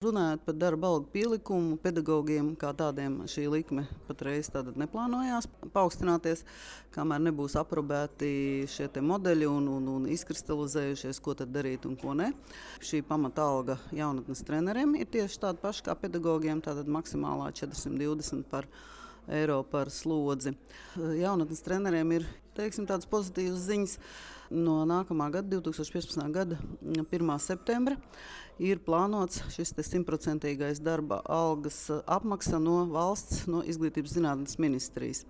Runājot par darba algu pielikumu, pedagogiem kā tādiem šī likme patreiz neplānojās paaugstināties, kamēr nebūs aprobēti šie modeļi un izkristalizējušies, ko tad darīt un ko ne. Šī pamata alga jaunatnes treneriem ir tieši tāda paša kā pedagogiem, tātad maksimālā 420 eiro par slodzi. Jaunatnes treneriem ir tādas pozitīvas ziņas. No nākamā gada, 2015. gada 1. septembra, ir plānots šis 100% darba algas apmaksa no valsts, no Izglītības zinātnes ministrijas.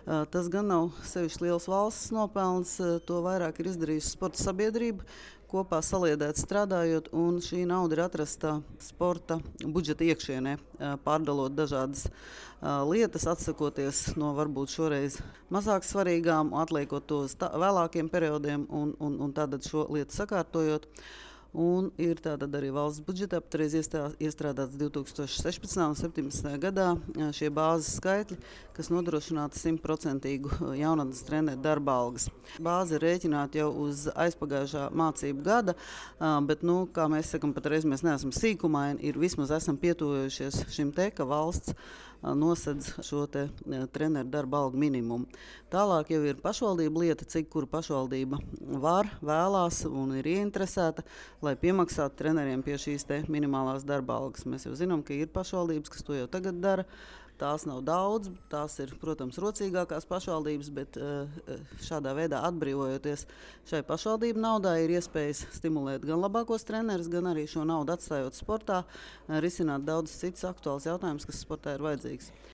Tas gan nav sevišķi liels valsts nopelns, to vairāk ir izdarījusi sporta sabiedrība, kopā saliedēt strādājot, un šī nauda ir atrasta sporta budžeta iekšienē, pārdalot dažādas lietas, atsakoties no varbūt šoreiz mazāk svarīgām, atliekot to uz vēlākiem periodiem un tātad šo lietu sakārtojot. Un ir arī valsts budžetā patreiz iestrādāts 2016. un 2017. gadā šie bāzes skaitļi, kas nodrošinātu 100% jaunatnes treneru darba algas. Bāze ir rēķināta jau uz aizpagājušā mācību gada, bet, kā mēs sakam, patreiz mēs neesam sīkumaini, vismaz esam pietuvojušies šim ka valsts nosedz šo treneru darba algu minimumu. Tālāk jau ir pašvaldība lieta, cik kura pašvaldība var, vēlās un ir ieinteresēta, lai piemaksātu treneriem pie šīs minimālās darba algas. Mēs jau zinām, ka ir pašvaldības, kas to jau tagad dara. Tās nav daudz, tās ir, protams, rocīgākās pašvaldības, bet šādā veidā atbrīvojoties šai pašvaldību naudai, ir iespējas stimulēt gan labākos trenerus, gan arī šo naudu atstājot sportā, risināt daudz citus aktuālus jautājumus, kas sportā ir vajadzīgs.